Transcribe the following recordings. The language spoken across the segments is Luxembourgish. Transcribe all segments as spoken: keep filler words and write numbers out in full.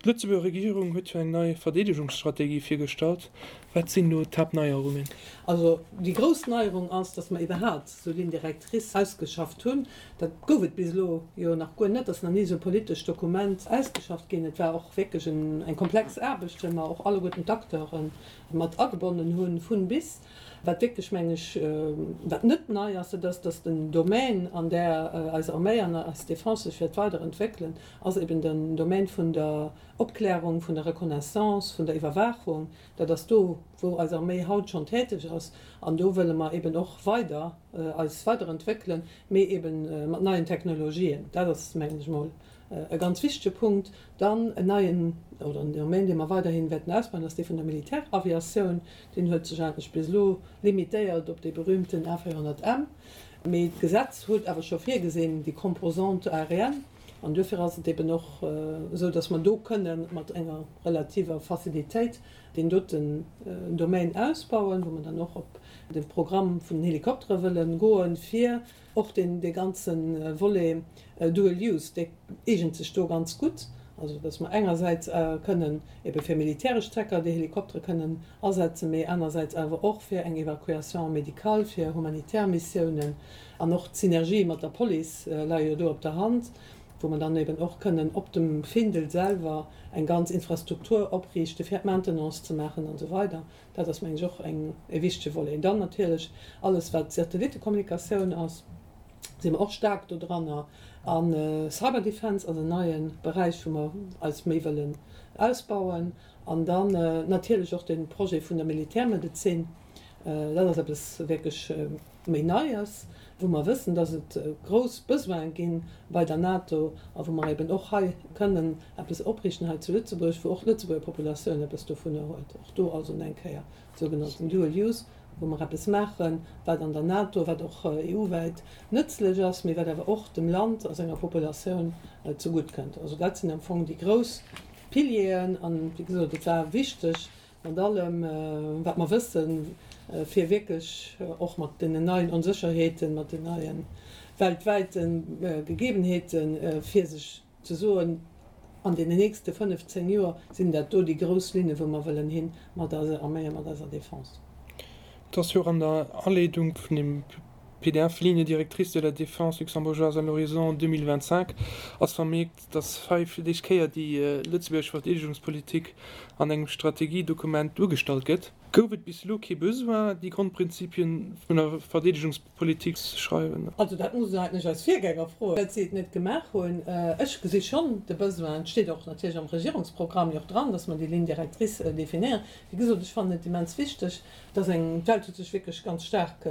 D'Lëtzebuerger Regierung huet jo eng nei Verdeedegungsstrategie virgestallt. Wat sinn do d'Haaptneierungen? Also déi grouss Neierung ass, dass mer iwwerhaapt esou Lignes directrices ausgeschafft hunn. Dat gouf et bis elo jo nach guer net, dass nach ni esou e politescht Dokument ausgeschafft ginn. Et war och wierklech eng komplex Aarbecht, well mer och alleguerten d'Acteure mat agebonnen hunn, vun bis. Wat wierklech, meng ech, wat net nei ass, dat ass, dass den Domän, an där eis Arméi an eis Defense sech wäert weiderentwéckelen, ass eben den Domän vun der Opklärung, vun der Reconnaissance, vun der Iwwerwaachung. Dat ass do, wou eis Arméi haut schonn täteg ass. An do wëlle mer eben och weider eis weiderentwéckelen, mee eben mat neien Technologien. Dat ass, mengen ech emol, e ganz wichtege Punkt. Dann en neien, oder en Domaine, dee mer weiderhi wäerten ausbauen, ass dee vun der Militäraviatioun. Deen huet sech eigentlech bis elo limitéiert op dee berühmten A véierhonnert M. Mee d'Gesetz huet awer scho virgesinn, déi Composante aérienne. An duerfir ass et eben och esou, dass mer do kënnen mat enger relativer Facilitéit deen doten Domaine ausbauen, wou mer dann och op de Programm vun den Helikoptere wëlle goen, fir och deen, dee ganze Volet dual use, dee eegent sech do ganz gutt, also dass mer engersäits kënnen ebe fir militäresch Zwecker déi Helikoptere kënnen asetzen, mee anersäits awer och fir eng Évacuation médicale, fir humanitär Missiounen. An och d'Synergie mat der Police leie jo do op der Hand, wou mer dann eben och kënnen op dem Findel selwer eng ganz Infrastruktur opriichte fir d'Maintenance ze maachen an esou weider. Dat ass, mengen ech, och eng, e wichtege Volet. Dann natierlech alles, wat Satellittekommunikatioun ass, si mer och staark do dranner. A Cyber Defense ass en neie Beräich, wou mer eis méi wëllen ausbauen. An dann natierlech och de Projet vun der Militärmedezin. Dat ass eppes wierklech méi Neies, wou mer wëssen, dass et grouss Besoine gi bei der NATO a wou mer eben och hei kënnen eppes opriichten hei zu Lëtzebuerg, wou och d'Lëtzebuerger Populatioun eppes dovunner huet. Och do also eng Kéier sougenannten Dual Use, wou mer eppes maachen, wat an der NATO, wat och E U-wäit nëtzlech ass, mee wat awer och dem Land a senger Populatioun zegutt kënnt. Also dat sinn am Fong déi grouss Pilieren. An, wéi gesot, et war wichteg, mat allem, wat mer wëssen, fir wierklech och mat deenen neien Onsécherheeten, mat den neie weltwäite Gegebenheeten, fir sech ze soen, an deenen nächste fënnef, zéng Joer sinn dat do déi grouss Linne wou mer wëllen hin mat eiser Arméi a mat eiser Défense. Et ass jo och an der Aleedung vun dem P D F, Ligne directrice de la défense luxembourgeoise à l'horizon deux mille vingt-cinq, ass vermierkt, dass hei fir d'éischt Kéier déi lëtzebuergesch Verdeedegungspolitik an engem Strategiedokument duergestallt gëtt. Gouf et bis elo kee Besoin, déi Grondprinzipien vun der Verdeedegungspolitik ze schreiwen? Also dat muss een eigentlech eis Virgänger froen, dat si et net gemaach hunn. Ech gesi schonn de Besoin, et steet och natierlech am Regierungsprogramm jo och dran, dass mer déi Ligne directrice definéieren. Wéi gesot, ech fannen et immens wichteg, dass eng, d'Welt huet sech wierklech ganz staark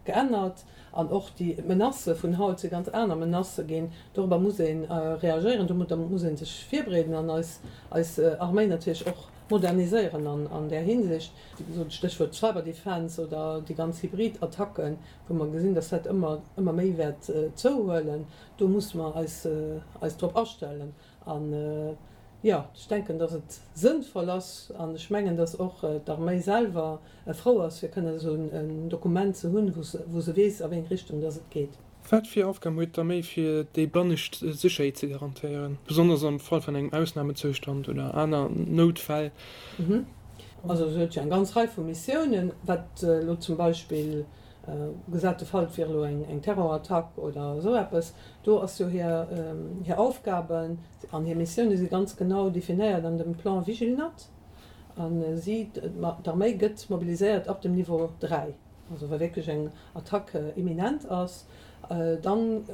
geännert an och déi Menacë vun haut si ganz aner Menacë ginn. Dorobber muss ee reagéieren, domadder muss ee sech virbereeden an eis, eis Arméi natierlech och moderniséieren an, an där Hinsicht. Wéi gesot, Stéchwuert Cyberdefense oder déi ganz Hybrid-Attacken, wou mer gesinn, dass dat ëmmer, ëmmer méi wäert zouhuelen. Do musse mer eis, eis drop astellen. An, jo, ech denken, dass et sënnvoll ass an ech mengen, dass och d'Arméi selwer frou ass, fir kënnen esou en Dokument ze hunn, wou se, wou se weess, a wéi eng Richtung dass et geet. Wat fir Aufgaben huet d'Arméi, fir déi bannescht Sécherheet ze garantéieren, besonnesch am Fall vun engem Ausnamezoustand oder aner Noutfäll? Also se huet jo eng ganz Rei vu Missiounen, wat elo zum Beispill gesat de Fall, et wier elo eng, eng Terrorattack oder esou eppes, do ass jo hir, hir Aufgaben an hir Missioune si ganz genau definéiert an dem Plan Vigilnat. An si, d'Arméi gëtt mobiliséiert ab dem Niveau dräi, also wa wierklech eng Attack imminent ass, dann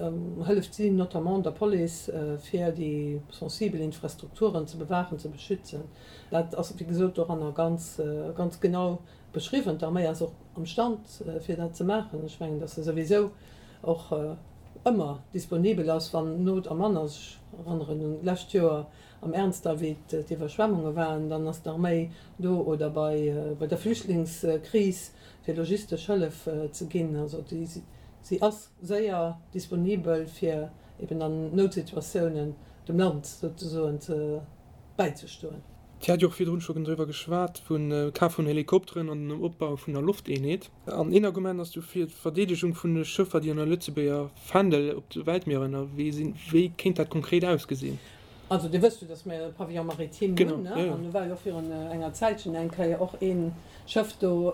hëlleft si notamment der Police, fir déi sensibel Infrastrukturen ze bewaachen, ze beschützen. Dat ass, wéi gesot, doranner ganz, ganz genau beschriwwen. D'Arméi ass och am Stand, fir dat ze maachen. Ech mengen, datt se souwisou och ëmmer disponibel ass, wann Not am Mann ass. Ech erënneren un d'lescht Joer am Ernster, wéi d'Iwwerschwemmunge waren, dann ass d'Arméi do oder bei, bei der Flüchtlingskris, fir logistesch Hëllef ze ginn. Also déi, si ass séier disponibel, fir eben an Noutsituatiounen dem Land souzesoen ze bäizestoen. Dir hat jo och virdrun scho driwwer geschwat, vun Kaf vun Helikopteren an dem Opbau vun der Lofteenheet. An een Argument ass dofir d'Verdeedegung vun de Schëffer, déi an der Lëtzebuerger Fändel op de Weltmier ënnerwee sinn. Wéi kéint dat konkret ausgesinn? Also Dir wësst jo, dass mir e Pavillon maritime Genau, hunn, ne? ja, ja. An do war jo och virun enger Zäitchen eng Kéier och ee Schëff do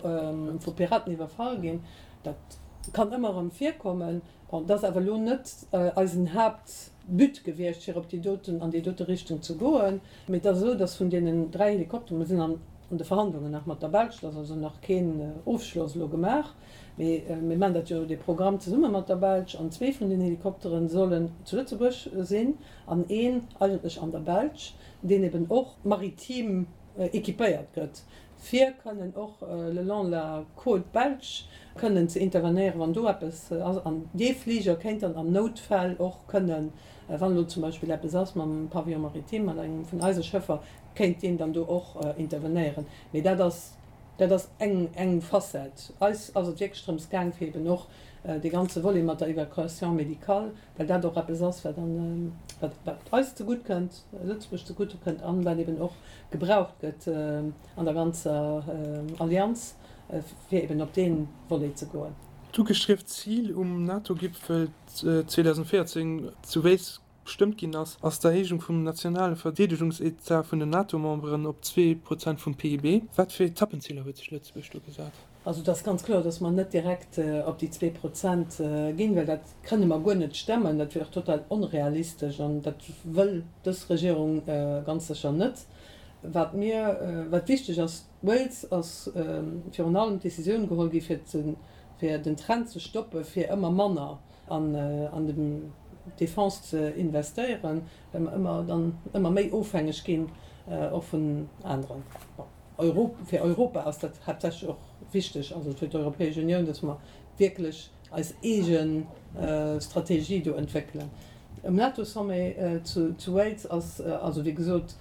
vu Piraten iwwerfall ginn. Dat kann ëmmer erëm virkommen. Bon, dat ass awer elo net eisen Haaptbut gewiescht, fir op déi doten, an déi dote Richtung ze goen. Mee et ass esou, dass vun deenen dräi Helikopteren, mir sinn an de Verhandlungen nach mat der Belsch, et ass also nach keen Ofschloss elo gemaach, mee mir maachen dat jo, dee Programm zesumme mat der Belsch, an zwee vun den Helikoptere sollen zu Lëtzebuerg sinn an een eigentlech an der Belsch, deen eben och maritim équipéiert gëtt, fir kënnen och le long de la côte belge kënnen ze intervenéieren, wann do eppes ass. An dee Fliger kéint dann an Noutfäll och kënnen, wann elo zum Beispill eppes ass mam Pavillon maritime, mat engem vun eise Schëffer, kéint deen dann do och intervenéieren. Mee dat ass, dat ass eng, eng Facette. Eis ass et wierklech drëms gaang, fir eben och dee ganze Volet mat der Évacuation médicale, well dat och eppes ass, wat dann, wat, wat eis zegutt kënnt, Lëtzebuerg zegutt kënnt an wat eben och gebraucht gëtt an der ganzer Allianz, fir eben op dee Volet ze goen. D'ugestrieft Zil um NATO-Gipfel zweedausendvéierzéng zu Wales gestëmmt ginn ass, ass d'Erhéijung vum nationale Verdeedegungsetat vun den NATO-Memberen op zwee Prozent vum P I B. Wat fir Etappenziler huet sech Lëtzebuerg do gesat? Also et ass ganz kloer, datt mer net direkt op déi zwee Prozent ginn, well dat kënne mer guer net stemmen. Dat wier och total onrealistesch an dat wëll dës Regierung ganz sécher net. Wat mir, wat wichteg ass, Wales ass virun allem d'Decisioun geholl gi fir ze, fir den Trend ze stoppe fir ëmmer manner an an de Defense ze investéieren, well mer ëmmer dann ëmmer méi ofhängeg ginn och vun aneren. Bon, Euro, fir Europa ass dat haaptsächlech och wichteg, also fir d'Europäesch Unioun, datt mer wierklech eis eege Strategie do entwéckelen. Um NATO-Sommet zu zu Wales ass also wéi gesot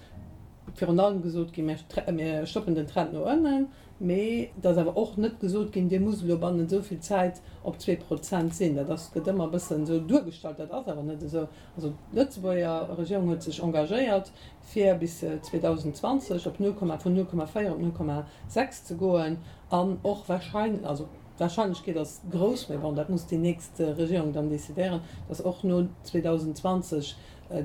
virun allem gesot ginn, mir stoppen den Trend no ënnen, mee et ass awer och net gesot ginn, dir musst elo bannent esou vill Zäit op zwee Prozent sinn. Dat ass, gëtt ëmmer e bëssen esou duergestallt, dat ass awer net esou. Also d'Lëtzebuerger Regierung huet sech engagéiert, fir bis zweedausendzwanzeg op null Komma, vun null Komma véier op null Komma sechs ze goen an och wahrscheinlech, also d'Wahrscheinlechkeet ass grouss, mee bon, dat muss déi nächst Regierung dann decidéieren, dass och no zweedausendzwanzeg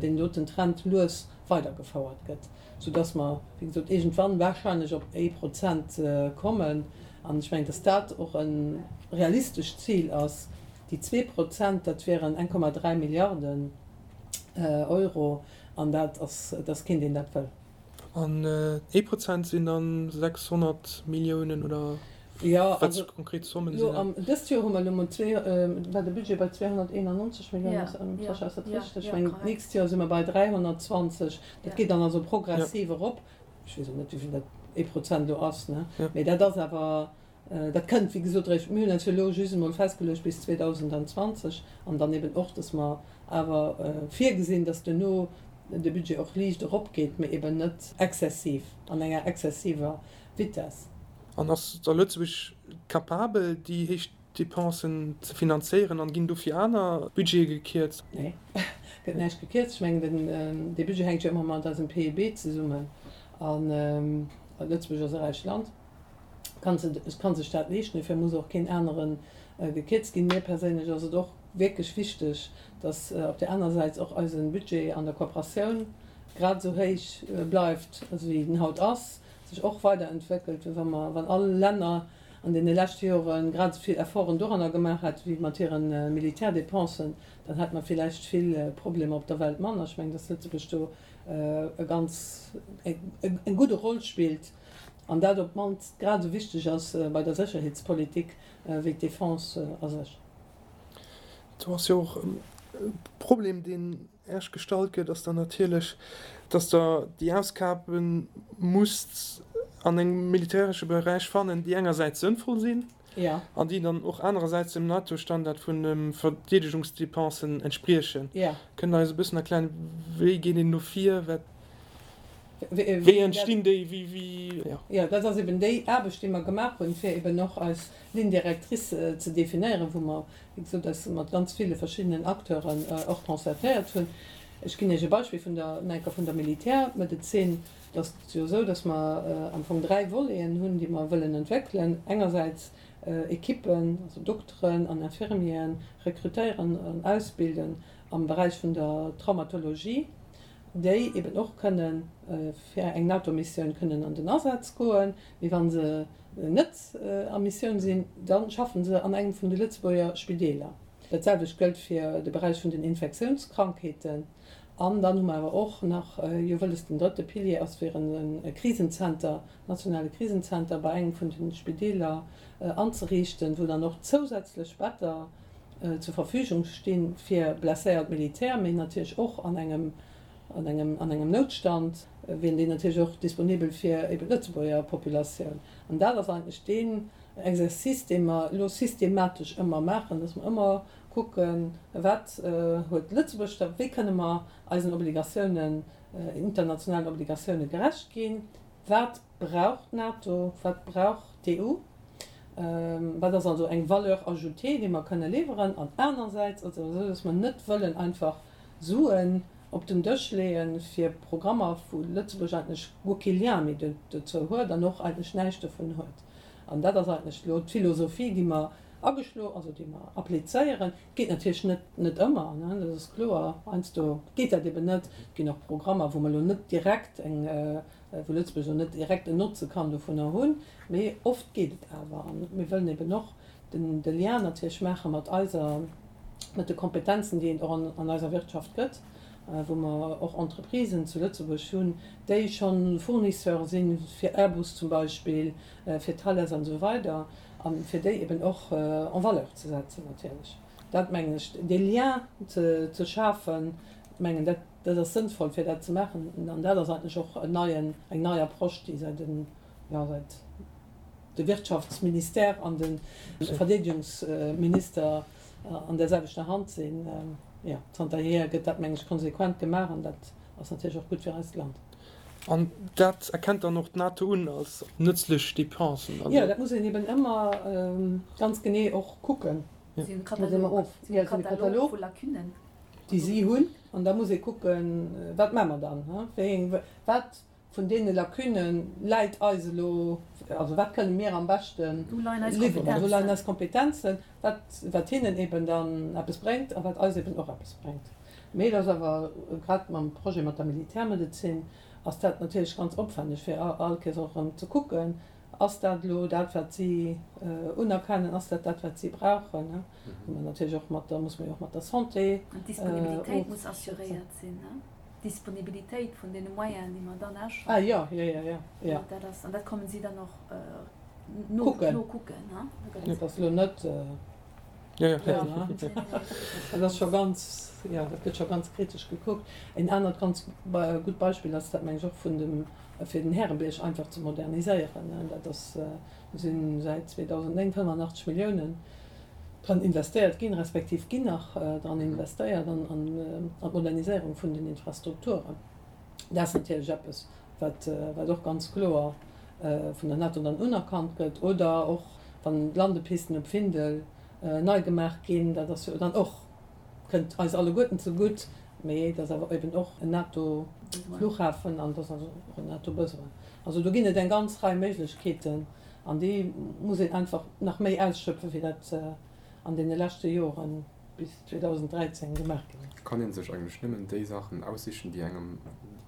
deen doten Trend lues weidergefouert gëtt, soudass mer, wéi gesot, iergendwann wahrscheinlech op ee Prozent kommen. An ech mengen, dass dat och e realistescht Zil ass. Déi zwee Prozent, dat wieren eng Komma dräi Milliarden Euro, an dat ass, et ass keen, deen dat wëll. An ee Prozent sinn dann sechshonnert Milliounen, oder Ja, wat also konkret Zommen lo sinn dat? am, dëst Joer hu mer elo mol zwee, war de Budget bei zweehonnerteenannonzeg Milliounen, Ja, ass, ja, Sascha, ass dat ja, richteg? Ech ja, mengen, korrekt. d'nächst Joer si mer bei dräihonnertzwanzeg. Dat Ja. geet dann also Ja. progressiv erop. Ech weess och net, wéi vill dat ee Prozent elo ass, ne? Ja. Mee dat ass awer, dat kënnt, wéi gesot, eréischt, mir hunn eis jo elo just emol festgeluecht bis zweedausendzwanzeg an dann eben och, dass mer awer virgesinn, dass duerno de Budget och liicht eropgeet, mee eben net exzessiv, an enger exzessiver Vitess. An ass da Lëtzebuerg capabel, déi héich Dépensen ze finanzéieren an ginn dofir aner Budgete gekierzt? Nee, gëtt näischt gekierzt. Ech mengen, den, dee Budget hänkt jo ëmmer mat eisem P I B zesummen. An Lëtzebuerg ass e räicht Land, kann se, kann sech dat leeschten. Dofir muss och keen anere gekierzt ginn. Mir perséinlech ass et och wierklech wichteg, datt op där aner Säit och eise Budget an der Kooperatioun grad esou héich bleift, wéi en haut ass, sech och weiderentwéckelt, well wa mer, wann all Länner an deene leschte Jore grad esou vill Efforten doranner gemaach hätt wéi mat hire Militärdepensen, dann hätte mer villäicht vill Problemer op der Welt manner. Ech mengen, datt Lëtzebuerg do e ganz, eng gudde Roll spillt an dat op d'mannst grad esou wichteg ass bei der Sécherheetspolitik wéi d'Defense a sech. Do ass jo och e Problem, deen Iech gestallt gëtt, ass dann natierlech, dass Der déi Ausgabe musst an engem militäresche Beräich fannen, déi engersäits sënnvoll sinn Ja. an déi dann och anerersäits dem NATO-Standard vun de Verdeedegungsdepensen entspriechen. Ja. Kënnt Der eis e bëssen erklären, wéi geet een do vir, wat, Wéi wéi dat entstinn déi, wéi, wéi, ja. Jo, dat ass eben déi Aarbecht, déi mer gemaach hunn, fir eben och eis Ligne directrice ze definéieren, wou mer, wéi gesot, eis mat ganz ville verschiddenen Acteuren och concertéiert hunn. Ech ginn Iech e Beispill vun der, nach eng Kéier vun der Militärmedezin. Et ass jo esou, dass mer am Fong dräi Voleten hunn, déi mer wëllen entwéckelen. Engersäits Ekippen, also Dokteren an Infirmieren rekrutéieren an ausbilden am Beräich vun der Traumatologie. déi eben och kënnen fir eng NATO-Missioun kënnen an den Asaz goen. Mee wa se net a Missioun sinn, da schaffen se an engem vun de Lëtzebuerger Spideeler. Dat selwecht gëllt fir de Beräich vun den Infektiounskrankheeten. An dann hu mer awer och nach jo wëlles, den drëtte Pilier ass fir e Krisenzenter, nationale Krisenzenter bei engem vun de Spideeler anzeriichten, wou dann och zousätzlech Better zur Verfügung sti fir blesséiert Militär, mee natierlech och an engem an engem an engem Noutstand wieren déi natierlech och disponibel fir eben d'Lëtzebuerger Populatioun. An dat ass eigentlech deen Exercice, dee mer elo systematesch ëmmer maachen, dass mer ëmmer kucken, wat huet Lëtzebuerg da, wéi kënne mer eisen Obligatiounen, internationalen Obligatioune gerecht ginn, wat brauch d'NATO, wat brauch d'EU, wat ass also eng Valeur ajoutée, déi mer kënne liwweren, an anersäits ass et awer esou, dass mer net wëllen einfach Suen op den Dësch leeën fir Programmer, wou Lëtzebuerg eigentlech guer kee Lien méi dozou huet an och eigentlech näischt dovun huet. An dat ass eigentlech elo d'Philosophie, déi mer ageschlo, also déi mer applizéieren. Et geet natierlech net, net ëmmer, ne, dat ass kloer. Heiansdo geet dat eben net. Et ginn och Programmer, wou mer elo net direkt eng, wou Lëtzebuerg elo net direkt en Notze kann dovunner hunn. Mee oft geet et awer. A mir wëllen eben och den, de Lien natierlech maache mat eiser, mat de Kompetenzen, déi et och an, an eiser Wirtschaft gëtt, wou mer och Entreprisen zu Lëtzebuerg hunn, déi scho Fournisseur si fir Airbus zum Beispill, fir Thales an esou weider, a fir déi eben och en valeur ze setzen natierlech. Dat mengen ech, dee Lien ze, ze schafen, mengen dat, dat ass sënnvoll fir dat ze maachen. An dat ass eigentlech och en neien, eng nei Approche, déi säit den, jo, säit de Wirtschaftsministère an de Verdeedegungsminister an där selwechter Hand sinn. Jo, zanterhier gëtt dat, meng ech, konsequent gemaach an dat ass natierlech och gutt fir eist Land. An dat erkennt dann och d'NATO un als nëtzlech Dépensen? Jo, dat muss een eben ëmmer ganz genee och kucken. Si hunn e Katalog, si hunn e Katalog vu Lacunen. Déi si hunn. An da muss ee kucken, wat maache mer dann? Wéi eng, wat vun deene Lacunne läit eis elo, also wat kënne mir am beschte liwweren, wou leien eis Kompetenzen, wat, wat hinnen eben dann eppes bréngt a wat eis eben och eppes bréngt. Mee et ass awer, grad mam Projet mat der Militärmedezin, ass dat natierlech ganz opwänneg, fir all Kéiers och erëm ze kucken, Ass dat elo dat, wat si unerkennen? Ass dat dat, wat si brauchen? Hu mer natierlech och mat der, muss mer jo och mat der Santé. An d'Disponibilitéit muss assuréiert sinn, ne? D'Disponibilitéit vun deene Moyenen, déi mer dann auschaffen. Ah jo, jo, jo, jo, jo. Dat ass, an dat kommen si dann och no, nokucken, ne? Dat ass elo net. Jo, jo. Dat ass scho ganz, jo, dat gëtt scho ganz kritesch gekuckt. En anert ganz gutt Beispill ass dat, meng ech, och vun dem, fir den Härebierg einfach ze moderniséieren. Dat ass, do si säit zweedausendnéng fënnefenachtzeg Milliounen dran investéiert ginn, respektiv ginn nach dran investéiert an d'Moderniséierung vun den Infrastrukturen. Dat ass natierlech eppes, wat, wat och ganz kloer vun der NATO dann unerkannt gëtt. Oder och wann d'Landepisten op Findel nei gemaach ginn, dat ass jo dann och, kënnt eis alleguerten zegutt, mee dat ass awer eben och en NATO-Flughafen an dat ass also och en NATO-Besoin. Also do ginn et eng ganz Rei Méiglechkeeten an déi muss een einfach nach méi ausschöpfen, wéi dat an deene leschte Joren bis zweedausendräizéng gemaach ginn ass. Kann ee sech eigentlech nëmmen déi Saachen aussichen, déi engem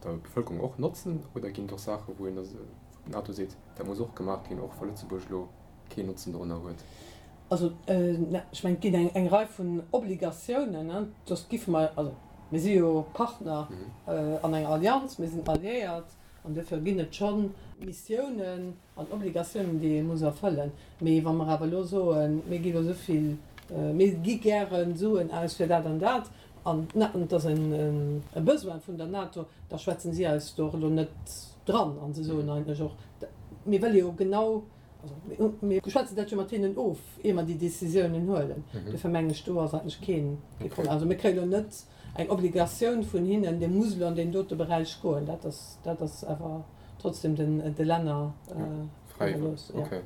der Bevëlkerung och notzen, oder ginn et och Saachen, wou een d'NATO seet, dat muss och gemaach ginn, och wa Lëtzebuerg elo keen Notzen dorunner huet? Also, ech mengen, et ginn eng Rei vun Obligatiounen, dass giffe mer, also mir si jo Partner an enger Allianz, mir sinn Alliéiert an duerfir ginn et scho Missiounen an Obligatiounen, déi ee muss erfëllen. Mee wa mer awer elo soen, mir gi elo esou vill, mir gi gäre Suen aus fir dat an dat an et ass e Besoin vun der NATO, da schwätzen si eis do och elo net dran a se soen eigentlech och, mir wëlle jo genau, also mir schwätzen dat jo mat hinnen of, ier mer déi Décisiounen huelen. Duerfir mengen ech, do ass eigentlech keen Problem. Also mir kréie lo net eng Obligatioun vun hinnen, Dir musst elo an deen dote Beräich goen. Dat ass, dat ass awer trotzdem den, de Länner iwwerlooss. Okay.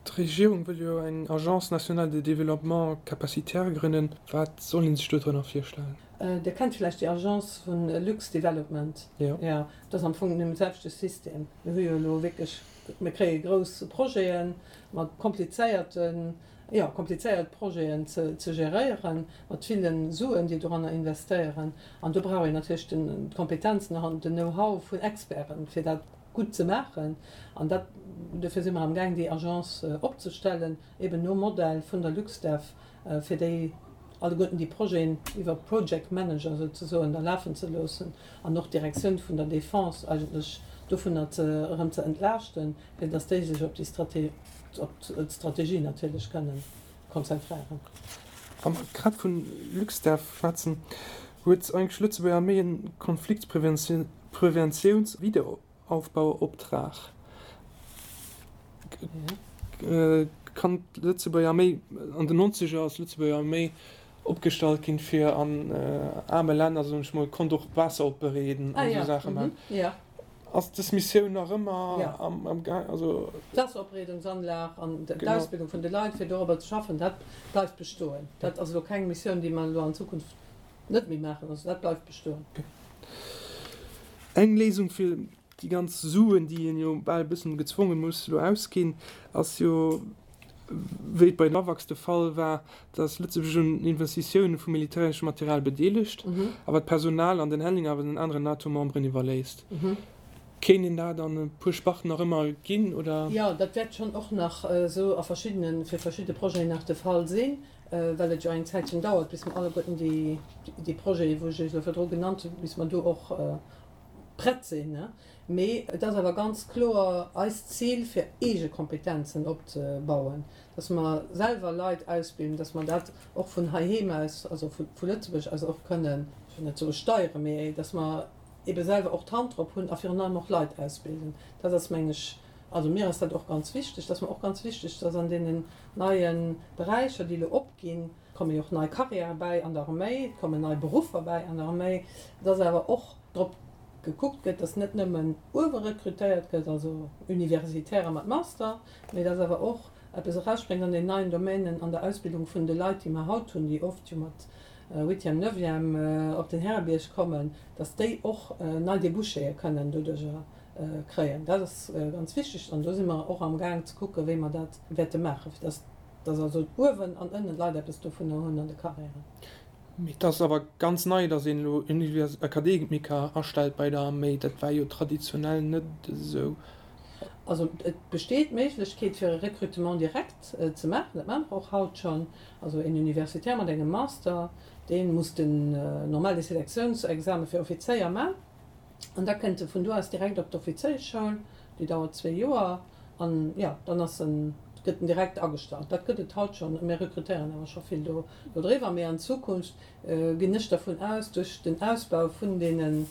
D'Regierung wëll jo eng Agence nationale de développement capacitaire grënnen. Wat soll ee sech do drënner virstellen? Dir kennt vläicht déi Agence vu Lux-Development. Jo. Jo, dat ass am Fong dee selwechte System. Mir hu jo elo wierklech, mir kréie grouss Projete mat komplizéierte jo, komplizéiert Projeten ze, ze geréieren, mat ville Suen, déi doranner investéieren. An do brauch een natierlech den, d'Kompetenzen an den Know-how vun Experten, fir dat gutt ze maachen. An dat, dofir si mer amgaang, déi Agence opzestellen, eben nom Modell vun der LuxDev, fir déi alleguerten déi Projeten iwwer Project Manager souzesoen da lafen ze loossen an och d'Direktioun vun der Defense eigentlech dovunner ze, erëm ze entlaaschten, fir dass déi sech op déi Strate, op d'Strategie natierlech kënnen konzentréieren. Wa mer grad vun LuxDev schwätzen, huet eigentlech d'Lëtzebuerger Arméi en Konfliktpreventiouns-Wiederaufbauoptrag. Kann d'Lëtzebuerger Arméi, an den Nonzeger ass d'Lëtzebuerger Arméi opgestallt ginn, fir an aarme Länner, soen ech mol, konnt och Waasser opbereeden an esou Saache maachen. Ass dës Missioun nach ëmmer am Gaang? Also. D'Waasseropbereedungsanlag an d'Ausbildung vun de Leit, fir dorobber ze schaffen, dat bleift bestoen. Dat ass elo keng Missioun, déi mer elo an Zukunft net méi maachen. Also dat bleift bestoen. Eng Léisung fir déi ganz Suen, déi een jo bal e bëssen gezwonge muss elo ausginn, ass jo, wéi et bei den AWACS de Fall war, datt Lëtzebuerg un Investitioune vu militäreschem Material bedeelegt, awer d'Personal an den Handling awer den aneren NATO-Memberen iwwerléisst. Kéint een dat an e puer Sparten nach ëmmer ginn, oder? Jo, dat wäert schonn och nach esou a verschiddene, fir verschidde Projeten nach de Fall sinn, well et jo eng Zäitchen dauert, bis mer alleguerten déi, déi Projeten, wou ech Iech elo virdru genannt hunn, bis mer do och prett sinn. Mee et ass awer ganz kloer eist Zil, fir eege Kompetenzen opzebauen, dass mer selwer Leit ausbilden, dass mer dat och vun heiheem aus, also vu Lëtzebuerg aus och kënnen, ech wëll net soe steieren, mee dass mer ebe selwer och d'Hand drop hunn a virun allem och Leit ausbilden. Dat ass, meng ech, also mir ass dat och ganz wichteg, dat ass mer och ganz wichteg, dass an deenen neie Beräicher, déi elo opginn, komme jo och nei Carrièrë bäi an der Arméi, et kommen nei Beruffer bäi an der Arméi, dass awer och drop gekuckt gëtt, dass net nëmmen uewe rekrutéiert gëtt, also Universitäre mat Master, mee dass awer och eppes erausspréngt an den neien Domänen an der Ausbildung vun de Leit, déi mer haut hunn, déi oft jo mat Huitième, Neuvième op den Härebierg kommen, dass déi och nei Débouchéë kënnen doduerjer kréien. Dat ass ganz wichteg an do si mer och amgaang ze kucken, wéi mer dat wäerte maachen, fir dass dass also uewen an ënnen d'Leit eppes dovunner hunn an de Carrièren. Mee et ass awer ganz nei, dass een elo Akademiker astellt bei der Arméi. Dat war jo traditionell net esou. Also et besteet d'Méiglechkeet fir e Recrutement direct ze maachen. Dat maache mer och haut schonn. Also een Universitaire mat engem Master, dee muss den normale Selektiounsexame fir Offizéier maachen an da kënnt e vun do aus direkt op d'Offizéieschschoul, déi dauert zwee Joer an jo, dann ass en gëtt en direkt agestallt. Dat gëtt et haut schonn. Mir rekrutéieren awer scho vill do dodriwwer. Mee an Zukunft ginn ech dervun aus, duerch den Ausbau vun deene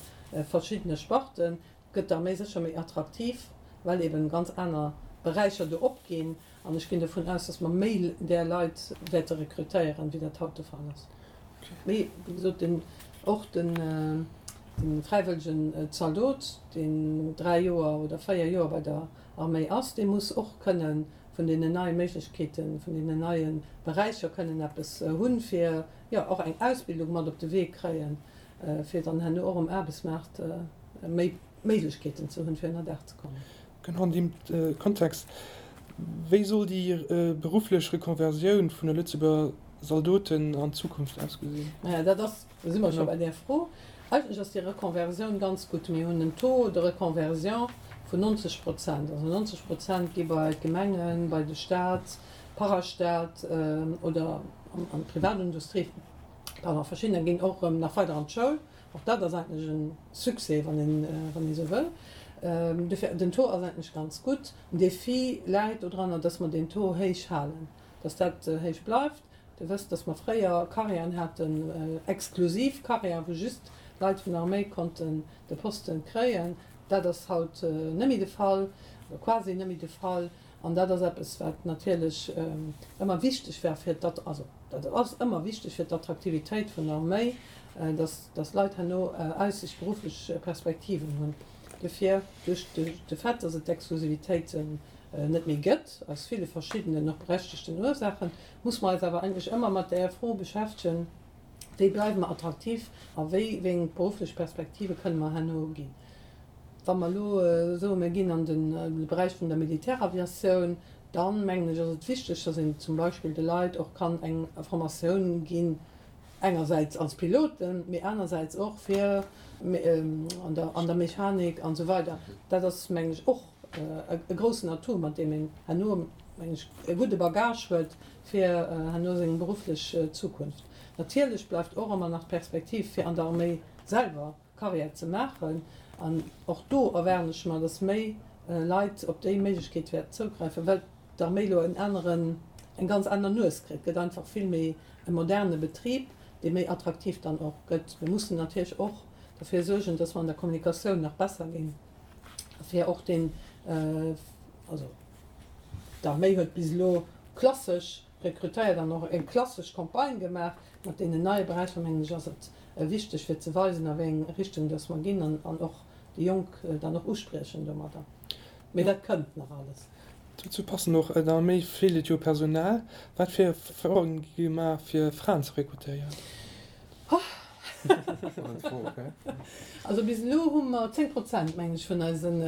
verschiddene Sparten, gëtt d'Arméi sécher méi attraktiv, well eben ganz aner Beräicher do opginn. An ech ginn dovun aus, datt mer méi där Leit wäerte rekrutéieren, wéi dat haut de Fall ass. Mee, wéi gesot, den, och den fräiwëllegen Zaldot, deen dräi Joer oder véier Joer bei der Arméi ass, dee muss och kënne vun deenen neie Méiglechkeeten, vun deenen neie Beräicher kënnen eppes hunn, fir, jo, och eng Ausbildung mat op de Wee kréien, fir dann herno och um Aarbechtsmaart méi Méiglechkeeten ze hunn, fir ënnerdaach ze kommen. Genau an deem Kontext, Wéi soll déi berufflech Rekonversioun vun de Lëtzebuerger Zaldoten an Zukunft ausgesinn? Maja, dat ass, do si mer scho bei där Fro. Eigentlech ass déi Rekonversioun ganz gutt. Mir hunn en Taux de reconversion vun nonzeg Prozent. Also nonzeg Prozent gi bei d'Gemengen, bei de Staat, Parastat oder an d'Privatindustrie, pardon, verschiddener ginn och erëm nach weider an d'Schoul. Och dat ass eigentlech e Succès, wann een, wann ee sou wëll. Dofir, den Taux ass eigentlech ganz gutt. Den Défi läit dodranner, dass mer deen Taux héich halen, dass dat héich bleift. Dir wësst, dass mer fréier Carrièren haten, exklusiv Carrièren, wou just Leit vun der Arméi konnten de Posten kréien. Dat ass haut net méi de Fall, oder quasi net méi de Fall. An dat ass eppes, wat natierlech ëmmer wichteg war fir d'Att-, also dat ass ëmmer wichteg fir d'Attraktivitéit vun der Arméi, dass, dass Leit herno Aussicht, berufflech Perspektiven hunn. Dofir, duerch de Fait, dass et d'Exklusivitéiten net méi gëtt, aus ville verschiddenen, och berechtegten Ursaachen, muss mer eis awer eigentlech ëmmer mat där Fro beschäftegen, Wéi bleiwe mer attraktiv a wéi eng berufflech Perspektive kënne mer herno ginn? Wa mer elo soen, mir ginn an de Beräich vun der Militäraviatioun, Dann, mengen ech, ass et wichteg, dass een zum Beispill de Leit och kann eng Formatioun ginn, engersäits als Piloten, mee anersäits och fir an der, an der Mechanik an esou weider. Dat ass, mengen ech, och e groussen Atout, mat deem een herno, mengen ech, e gudde Bagage huet fir herno seng berufflech Zukunft. Natierlech bleift och ëmmer nach d'Perspektiv, fir an der Arméi selwer Carrière ze maachen. An och do erwaarden ech mer, dass méi Leit op déi Méiglechkeet wäerten zougräifen, well d'Arméi elo en aneren, eng ganz aner Nues kritt. Et gëtt einfach vill méi e moderne Betrib, dee méi attraktiv dann och gëtt. Mir mussen natierlech och derfir suergen, dass mer an der Kommunikatioun nach besser ginn, fir och deen, also d'Arméi huet bis elo klassesch rekrutéiert an och eng klassesch Campagne gemaach. Mat deenen neie Beräicher, mengen ech, ass et wichteg, fir ze weisen, a wéi eng Richtung dass mer ginn an och déi Jonk dann och uspriechen domadder. Mee dat kënnt nach alles. Dozou passen och, der Arméi feelt et jo u Personal. Wat fir Efforten gi gemaach, fir Fraen ze rekrutéieren? Also bis elo hu mer zéng Prozent, mengen ech, vun eisen,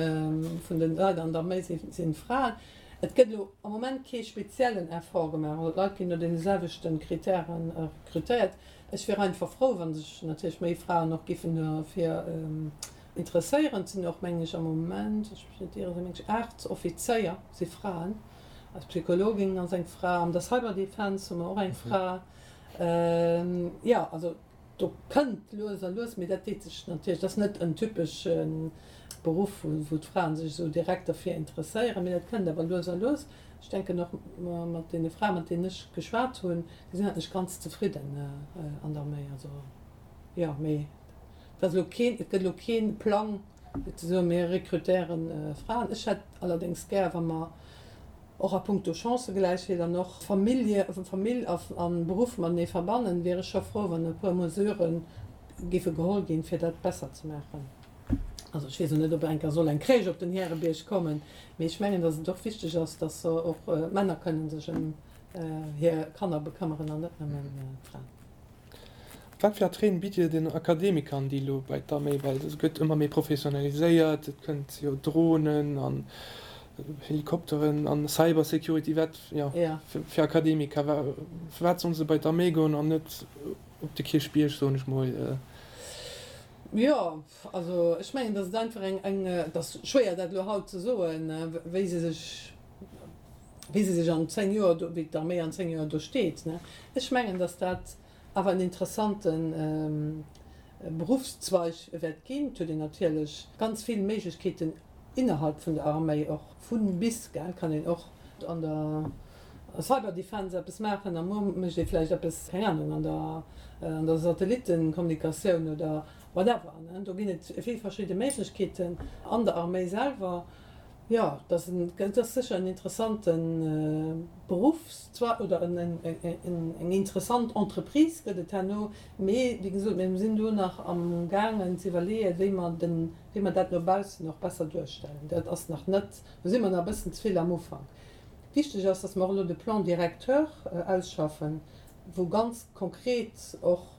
vun de Leit an der Arméi si Fraen. Et gëtt elo am Moment kee speziellen Effort gemaach. Also d'Leit ginn no deene selwechte Kritäre rekrutéiert. Ech wier einfach frou, wa sech natierlech méi Fraen och giffen dofir interesséieren. Et sinn och, mengen ech, am Moment, ech wëll mech net ieren, mengen ech aacht Offizéier si Fraen. Eis Psychologin ass eng Fra. An der Cyberdefense hu mer och eng Fra. Jo, also do kënnt lues a lues, mee dat deet sech natierlech, dat ass net en typesche Beruff, wou d'Fraen sech esou direkt derfir interesséieren, mee dat kënnt awer lues a lues. Ech denken och mat deene Frae, mat deenen ech geschwat hunn, déi sinn eigentlech ganz zefridden an der Arméi. Also jo, mee et ass elo keen, et gëtt elo kee Plang, fir ze soen, mir rekrutéiere Fraen. Ech hätt allerdéngs gär, wa mer och a puncto Chancëgläichheet an och Famillje, Famill a Beruff matenee verbannen, wier ech scho frou, wann e puer Mesurë géife geholl ginn, fir dat besser ze maachen. Also ech weess elo net, ob eng Kéier soll eng Crèche op den Härebierg kommen, mee ech mengen, datt et och wichteg ass, datt och d'Männer kënnen sech ëm hir Kanner bekëmmeren an net nëmmen d'Fraen. Wat fir Attraiten bitt Dir den Akademikern, déi elo bei d'Arméi, well se gëtt ëmmer méi professionaliséiert, et kënnt jo Dronen an Helikopteren an Cybersecurity, wat jo fir Akademiker, firwat sollen se bei d'Arméi goen an net op de Kierchbierg, soen ech mol? Jo, also ech mengen, datt et einfach eng, eng, et ass schwéier dat elo haut ze soen, wéi se sech, wéi se sech an zéng Joer do, wéi d'Arméi an zéng Joer do steet. Ech mengen, datt dat awer en interessante Beruffszweig wäert ginn. Et huet een natierlech ganz vill Méiglechkeeten innerhalb vun der Arméi, och vu bis, gell, kann een och an der Cyberdefense eppes maachen a muer mécht ee vläicht eppes, keng Anung, an der an der Satellittenkommunikatioun oder whatever. Do ginn et vill verschidde Méiglechkeeten an der Arméi selwer. Jo, dat ass sécher en interessante Beruffszweig oder eng interessant Entreprise gëtt et herno. Mee wéi gesot, mir sinn do nach amgaangen ze iwwerleeën, wéi mer den, wéi mer dat no baussen och besser duerstellen. Dat ass nach net, do si mer nach e bëssen ze vill am Ufank. Wichteg ass, datt mer och elo de Plan directeur ausschaffen, wou ganz konkret och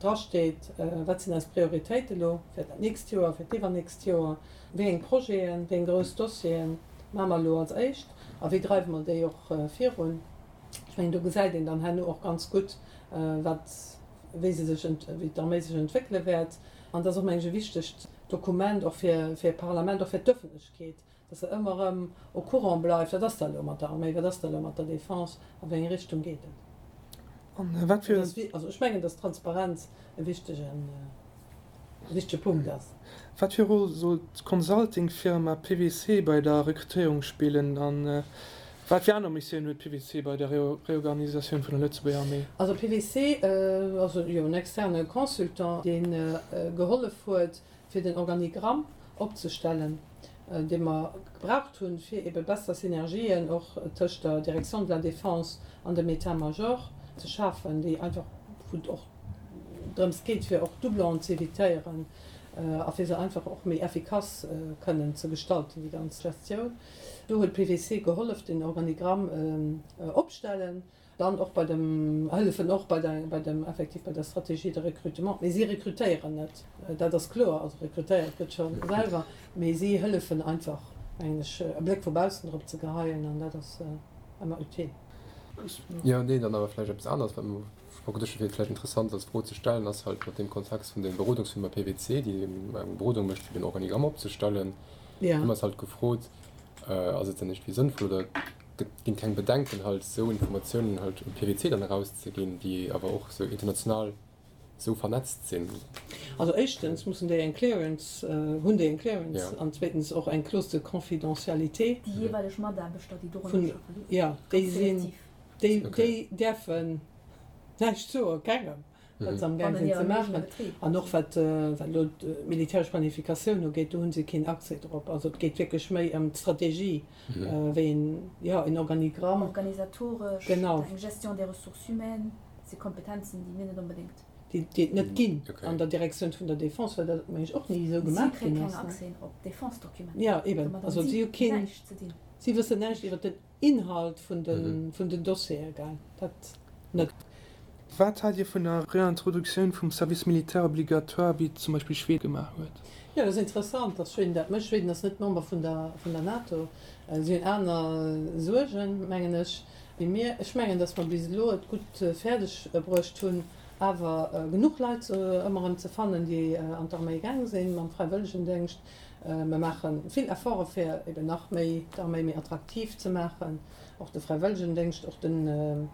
drasteet, wat sinn eis Prioritéite elo fir dat nächst Joer, fir d'iwwernächst Joer, wéi eng Projeten, wéi eng grouss Dossiere maache mer elo als éischt a wéi dreiwe mer déi och virun. Ech mengen, do gesäit een dann herno och ganz gutt, wat, wéi se sech, wéi d'Arméi sech entwéckele wäert. An dat ass och, mengen ech, e wichtegt Dokument och fir, fir d'Parlament, och fir d'Öffentlechkeet, dass se ëmmer erëm au courant bleift, wat ass da elo mat der Arméi, wat ass da elo mat der Défense, a wéi eng Richtung geet et. An wat fir. Also ech mengen, dass Transparenz e wichtegen, e wichtege Punkt ass. Wat fir Roll soll d'Consulting-Firma P W C bei der Rekrutéierung spillen a wat fir aner Missiounen huet P W C bei der Reorganisatioun vun der Lëtzebuerger Arméi? Also P W C ass jo en externe Consultant, dee gehollef huet, fir den Organigramm opzestellen, dee mer gebraucht hunn, fir ebe besser Synergien och tëscht der Direction de la Défense an dem État-major ze schafen, déi einfach, wou et och drëms geet, fir och Doublonen ze évitéieren a fir se einfach och méi effikass kënnen ze gestalten, déi ganz Gestioun. Do huet P W C gehollef, den Organigramm opstellen. Dann och bei dem, hëllefen och bei der, bei dem, effektiv bei der Stratégie de recrutement. Mee si rekrutéieren net, dat ass kloer. Also rekrutéiert gëtt scho selwer, mee si hëllefen einfach, mengen ech, e Bléck vu baussen drop ze geheien an dat ass, ëmmer utile. Jo, nee, dann awer vläicht eppes aneres, wat mer och geduecht hunn, wier vläicht interessant als Fro ze stellen, ass halt mat deem Kontext vun der Berodungsfirma P W C, déi eng Berodung mécht, fir den Organigramm opzestellen. Ja. Hu mer eis halt gefrot, ass et dann iergendwéi sënnvoll oder gëtt, ginn keng Bedenken halt, esou Informatiounen halt un P W C dann erauszeginn, déi awer och esou international esou vernetzt sinn? Also éischtens mussen déi eng Clearance, hunn déi eng Clearance Ja. an zweetens och eng Clause de confidentialité. Déi jeeweileg Mataarbechter, déi dorënner Vun, schaffen. ja, déi Ganz sinn, selektiv. déi, Okay. déi däerfen näischt soen, kengem, wat se am Gaang Wann sinn en ze hirem eegene maachen. Betrib. An och wat, wat elo d'militäresch Planifikatioun ugeet, do hu se keen Accès drop. Also et geet wierklech méi ëm d'Strategie, wéi een, ja, en Organigramm. Organisatoresch, Genau. eng Gestion des ressources humaines, si Kompetenzen, déi mir net onbedéngt. Déi, déi et net ginn Okay. an der Direktioun vun der Defense, well dat, meng ech, och ni esou Si gemaach kréie ginn keng ass, ne? Accès op Defense-Dokumenter. Ja, eben. Domat Also hunn si si hu keen, näischt ze dinn. si wëssen näischt iwwer den Inhalt vun den, vun den Dossiere, gell? Dat net. Wat haalt Dir vun der Reintroduktioun vum Service militaire obligatoire, wéi et zum Beispill Schweden gemaach huet? Jo, dat ass interessant, dass Schweden dat mécht. Schweden ass net Member vun der, vun der NATO. Si hunn aner Suergen, mengen ech, wéi mir. Ech mengen, dass mer bis elo et gutt fäerdeg bruecht hunn, awer genuch Leit ëmmer erëm ze fannen, déi an d'Arméi gaang sinn mam Fräiwëllegendéngscht. Mer maache vill Efforte fir eben nach méi d'Arméi méi attraktiv ze maachen, och de Fräiwëllegendéngscht, och den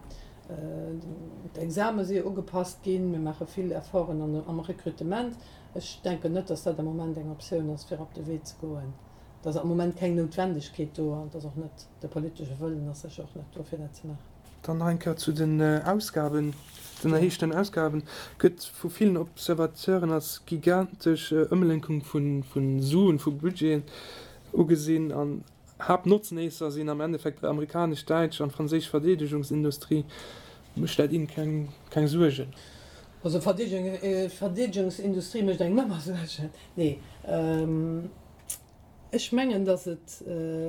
d'Exame si jo ugepasst ginn. Mir maache vill Efforten am Rekrutement. Ech denken net, dass dat am Moment eng Optioun ass, fir op de Wee ze goen. Et ass am Moment keng Noutwendegkeet do an et ass och net de politesche Wëllen ass sécher och net do, fir dat ze maachen. Dann nach eng Kéier zu den Ausgaben, Den erhéichten Ausgaben gëtt vu villen Observateuren als gigantesch Ëmlenkung vu Suen, vu Budgeten ugesinn an Haaptnotznéisser sinn am Endeffekt amerikanesch, däitsch an franséisch Verdeedegungsindustrie. Mécht dat Innen keng Suergen? Also Verdeedegungsindustrie mécht engem ëmmer Suergen. Nee, ech mengen, datt et,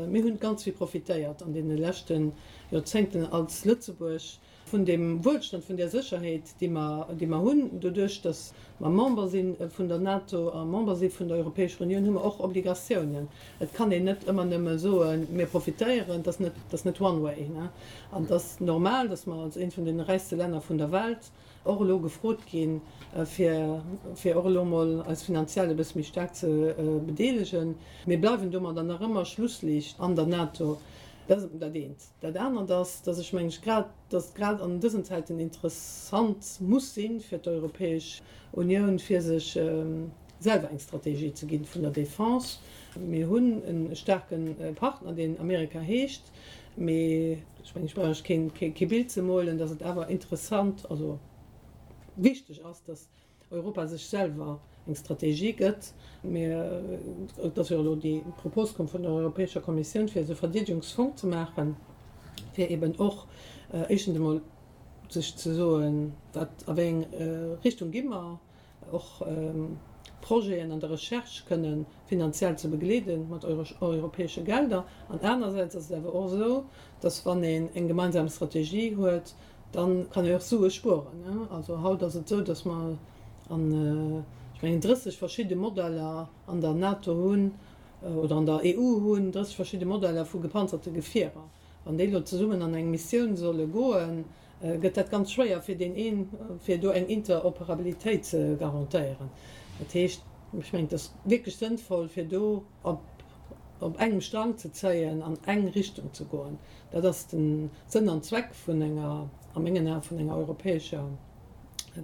mir hunn ganz vill profitéiert an deene leschte Joerzéngten als Lëtzebuerg vun deem Wuelstand, vun där Sécherheet, déi mer, déi mer hunn. Doduerch, datt mer Member si vun der NATO a Member si vun der Europäescher Unioun, hu mer och Obligatiounen. Et kann een net ëmmer nëmme soen, mir profitéieren, dat ass net, dat ass net one way. An et ass normal, datt mer als eent vun deene räichste Länner vun der Welt och elo gefrot ginn, fir, fir och elo emol eis finanziell e bësse méi staark ze bedeelegen. Mir bleiwen domadder nach ëmmer Schlussliicht an der NATO. Dat ass dat eent. Dat anert ass, dass ech mengen, grad, dass et grad an dësen Zäiten interessant muss sinn fir d'Europäesch Unioun, fir sech selwer eng Strategie ze ginn vun der Defense. Mir hunn e staarke Partner, deen Amerika heescht, mee ech mengen, ech brauch Iech keen, kee Bild ze molen, dass et awer interessant, also wichteg ass, dass Europa sech selwer eng Strategie gëtt. Mir, et ass jo elo déi Propos komm vun der Europäescher Kommissioun, fir esou e Verdeedegungsfong ze maachen, fir eben och éischtens emol sech ze soen, wat, a wéi eng Richtung gi mer, och Projeten an der Recherche kënne finanziell ze begleede mat europäesche Gelder. An anersäits ass et awer och esou, dass wann een eng gemeinsam Strategie huet, dann kann ee och Sue spueren. Also haut ass et esou, dass mer an, ech mengen, drësseg verschidde Modeller an der NATO hunn oder an der E U hunn, drësseg verschidde Modeller vu gepanzerte Gefierer. Wann déi elo zesummen an eng Missioun solle goen, gëtt dat ganz schwéier fir deen een, fir do eng Interoperabilitéit ze garantéieren. Dat heescht, ech mengen, et ass wierklech sënnvoll, fir do op op engem Strang ze zéien, an eng Richtung ze goen. Dat ass de Sënn an Zweck vun enger, a mengen Aen, vun enger europäescher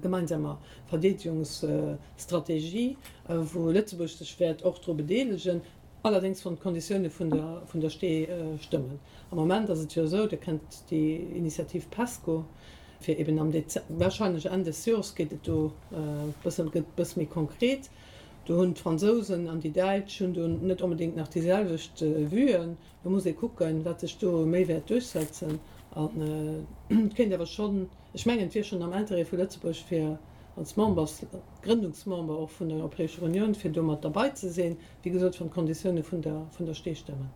gemeinsamer Verdeedegungsstrategie, wou Lëtzebuerg sech wäert och dru bedeelegen, allerdéngs wann d'Konditioune vun der vun der Stee stëmmen. Am Moment ass et jo esou, Dir kennt déi Initiativ PESCO, fir eben am Dez-, wahrscheinlech Enn des Jors geet et do e bësse, gëtt e bësse méi konkret. Do hunn d'Fransousen an déi Däitsch hunn do net onbedéngt nach déi selwecht Vuen. Do muss ee kucken, wat sech do méi wäert duerchsetzen. An et kéint awer schonn, ech mengen, et wier schonn am Interêt vu Lëtzebuerg, fir als Members, Grëndungsmember och vun der Europäescher Unioun, fir do mat derbei ze sinn, wéi gesot, wann d'Konditioune vun der, vun der Stee stëmmen.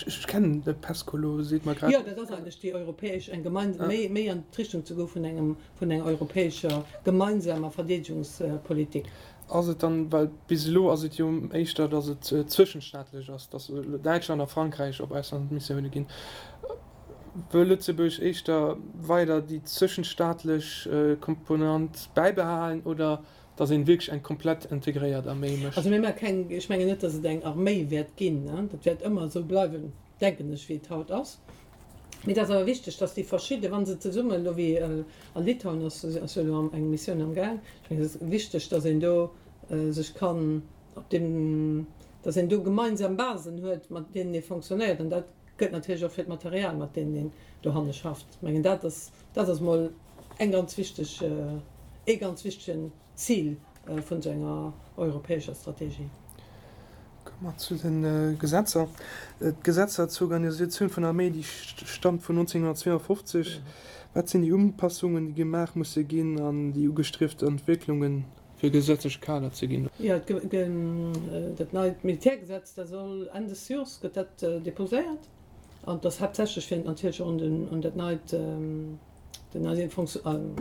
Ech kennen de PESCO elo, seet mer grad. Jo, dat ass eigentlech déi europäesch, eng gemein, méi, méi an d'Richtung ze goe vun engem, vun enger europäescher gemeinsamer Verdeedegungspolitik. Ass et dann, well bis elo ass et jo éischter, datt et zwëschenstaatlech ass, datt elo Däitschland a Frankräich op Auslandsmissioune ginn, Wëll Lëtzebuerg éischter weider déi zwischenstaatlech Komponent bäibehalen oder dass een wierklech eng komplett integréiert Arméi mécht? Also mir maache keng, ech mengen net, dass et eng Arméi wäert ginn. Dat wäert ëmmer esou bleiwen, denken ech, wéi et haut ass. Mee et ass awer wichteg, dass déi verschidde, wa se zesummen, elo wéi a Litauen ass jo elo eng Missioun am Gaang, ech mengen et ass wichteg, dass een do sech kann op deem, dass een do gemeinsam Basen huet, mat deenen ee fonctionnéiert. An dat gëllt natierlech och fir d'Material, mat deenen een dohanne schafft. Ech mengen, dat ass, dat ass emol eng ganz wichteg, ee ganz wichtegen Zil vun esou enger europäescher Strategie. Komme mer zu de Gesetzer. D'Gesetzer zur Organisatioun vun der Arméi, déi stammt vun nonzénhunnertzweeanfofzeg. Wat sinn déi Upassungen, déi gemaach musse ginn an déi ugestriefte Entwécklungen, fir e gesetzleche Kader ze ginn? Jo, dat neit Militärgesetz, dat soll Enn des Jors gëtt dat deposéiert. An et ass haaptsächlech fir natierlech och un dat neit, den neie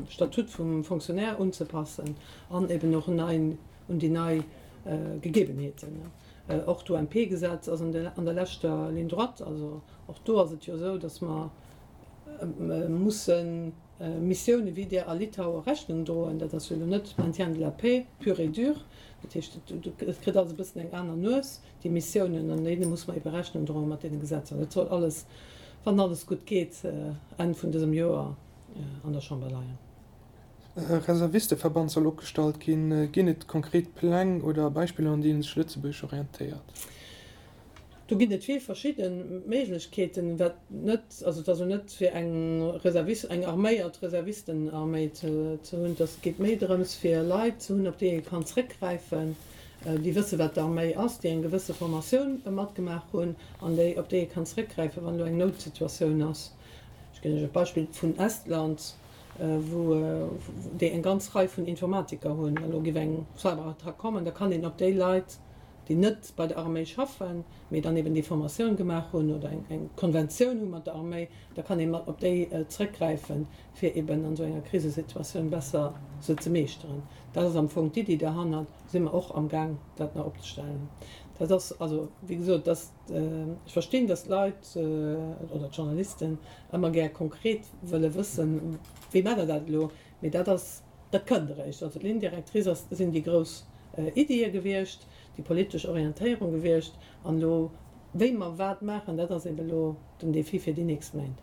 Statut vum Fonctionnaire unzepassen an eben och un déi nei Gegebenheeten. Och d'UMP-Gesetz ass an der leschter Ligne droite. Also och do ass et jo esou, datt mer musse Missioune wéi där a Litaue Rechnung droen. Dat ass jo elo net Maintien de la paix pur et dur. Dat heescht, et kritt alles e bëssen eng aner Nues, déi Missiounen, an deene muss mer ebe Rechnung droen mat deene Gesetzer. Dat soll alles, wann alles gutt geet, Enn vun dësem Joer an der Chamber leien. E Reservisteverband soll opgestallt ginn. Ginn et konkret Pläng oder Beispiller, un deenen sech Lëtzebuerg orientéiert? Do ginn et vill verschidde Méiglechkeeten, wat net, also et ass elo net fir eng Reservis-, eng arméiert Reservistenarméi ze hunn, et ass, geet méi drëms fir Leit ze hunn, op déi ee kann zréckgräifen, déi wësse wat d'Arméi ass, déi eng gewësse Formatioun matgemaach hunn an déi, op déi ee kann zréckgräifen, wann elo eng Noutsituatioun ass. Ech ginn Iech e Beispill vun Estland, wou déi eng ganz Rei vun Informatiker hunn. Elo géif eng Cyberattack kommen, da kann een op déi Leit, déi net bei der Arméi schaffen, mee dann eben déi Formatioun gemaach hunn oder eng Konventioun hu mat der Arméi, da kann ee mat op déi zrëckgräifen, fir eben an esou enger Krisesituatioun besser se ze meeschteren. Dat ass am Fong d'Iddi derhannert. Do si mer och amgaang, dat nach opzestellen. Dat ass also, wéi gesot, dass, ech verstinn, dass d'Leit oder d'Journalisten ëmmer gär konkret wëlle wëssen, wéi maacht Der dat elo? Mee dat ass, dat kënnt eréischt. Also d'Ligne directrice ass, sinn déi grouss Iddië gewiescht, déi politesch Orientéierung gewiescht. An elo, wéi mer wat maachen, dat ass eben elo den Défi fir déi nächst Méint.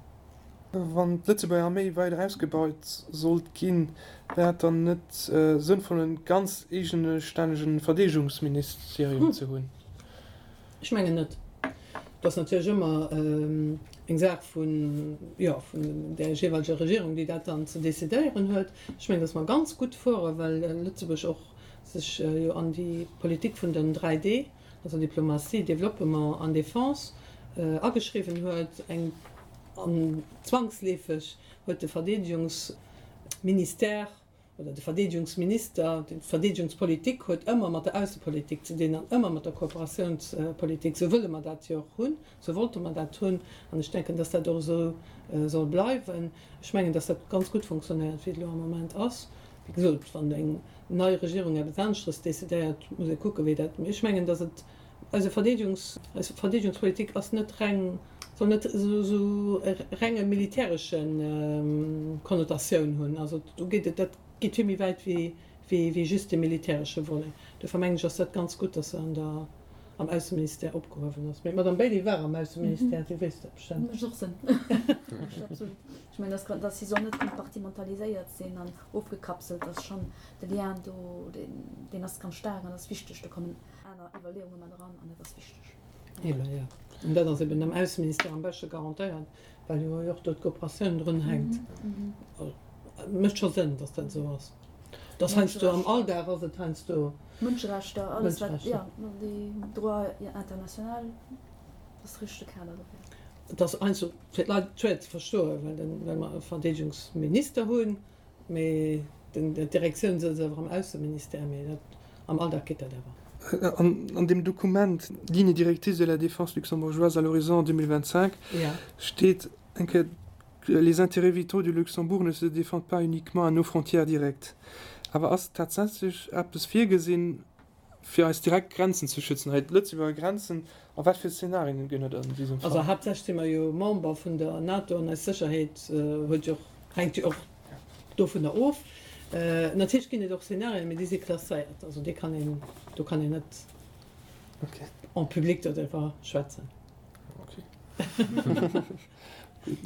Wann d'Lëtzebuerger Arméi weider ausgebaut sollt ginn, wär et dann net sënnvoll en ganz eegestännege Verdeedegungsministerium ze hunn? Ech mengen net. Et ass natierlech ëmmer eng Saach vun, jo, vun där jeeweileger Regierung, déi dat dann ze decidéieren huet. Ech mengen, datt mer ganz gutt fueren, well Lëtzebuerg och sech jo an déi Politik vun den dräi D, also Diplomatie, Développement an Défense, ageschriwwen huet. Eng, an zwangsleefeg huet de Verdeedegungsministère oder de Verdeedegungsminister, d'Verdeedegungspolitik huet ëmmer mat der Aussepolitik ze dinn an ëmmer mat der Kooperatiounspolitik. Esou wëlle mer dat jo och hunn, esou wollte mer dat hunn an ech denken, dass dat och esou soll bleiwen. Ech mengen, dass dat ganz gutt funktionéiert, wéi et elo am Moment ass. Wéi gesot, wann eng nei Regierung eppes aneschteres decidéiert, muss ee kucken, wéi dat. Mee ech mengen, dass et eise Verdeedegungs, eis Verdeedegungspolitik ass net reng, soll net esou e renge militäresche Konnotatioun hunn. Also do geet et, dat geet vill méi wäit wéi, wéi just de militäresche Volet. Dofir mengen ech, ass dat ganz gutt, dass se an der, am Ausseministère opgehuewen ass. Mee d'Madame Bailey war am Ausseministère, déi wéisst dat bestëmmt. Mécht och Sënn. Mécht absolut. Ech mengen, dass, dass si soll net kompartimentaliséiert sinn an ofgekapselt, dass schonn de Lien do, deen, deen ass ganz staark an ass wichteg. Do kommen aner Iwwerleeunge mat eran an dat ass wichteg. Eben, jo. An dat ass eben am Ausseministère am beschte garantéiert, well jo och do d'Kooperatioun drun hänkt. Mécht scho Sënn, dass dat esou ass. Et ass heiansdo am Alldag ass et heiansdo. Mënscherechter, alles wat, jo, déi Droit international, dat ass de richtege Kader dofir. Et ass heiansdo fir d'Leit schwéier ze verstoen, well den, well mer e Verdeedegungsminister hunn, mee den, d'Direktioun sëtzt awer am Ausseministère, mee dat, am Alldag geet dat awer. An deem Dokument Lignes directrices de la défense luxembourgeoise à l'horizon deux mille vingt-cinq steet eng Kéier, Les intérêts vitaux du Luxembourg ne se défendent pas uniquement à nos frontières directes. Awer ass tatsächlech eppes virgesinn, fir eis direkt Grenzen ze schützen, hei d'Lëtzebuerger Grenzen, a wat fir Szenarien ginn et an diesem Fall? Also haaptsächlech si mer jo Member vun der NATO an eis Sécherheet huet jo och, hänkt jo och dovunner of. Natierlech ginn et och Szenarien, mee déi si klasséiert, also déi kann een, do kann een net en public doriwwer schwätzen.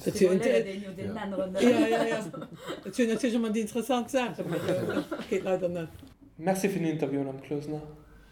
Dat wier natierlech ëmmer déi interessant Saach, mee dat geet leider net. Merci fir den Interview, Madame Closener.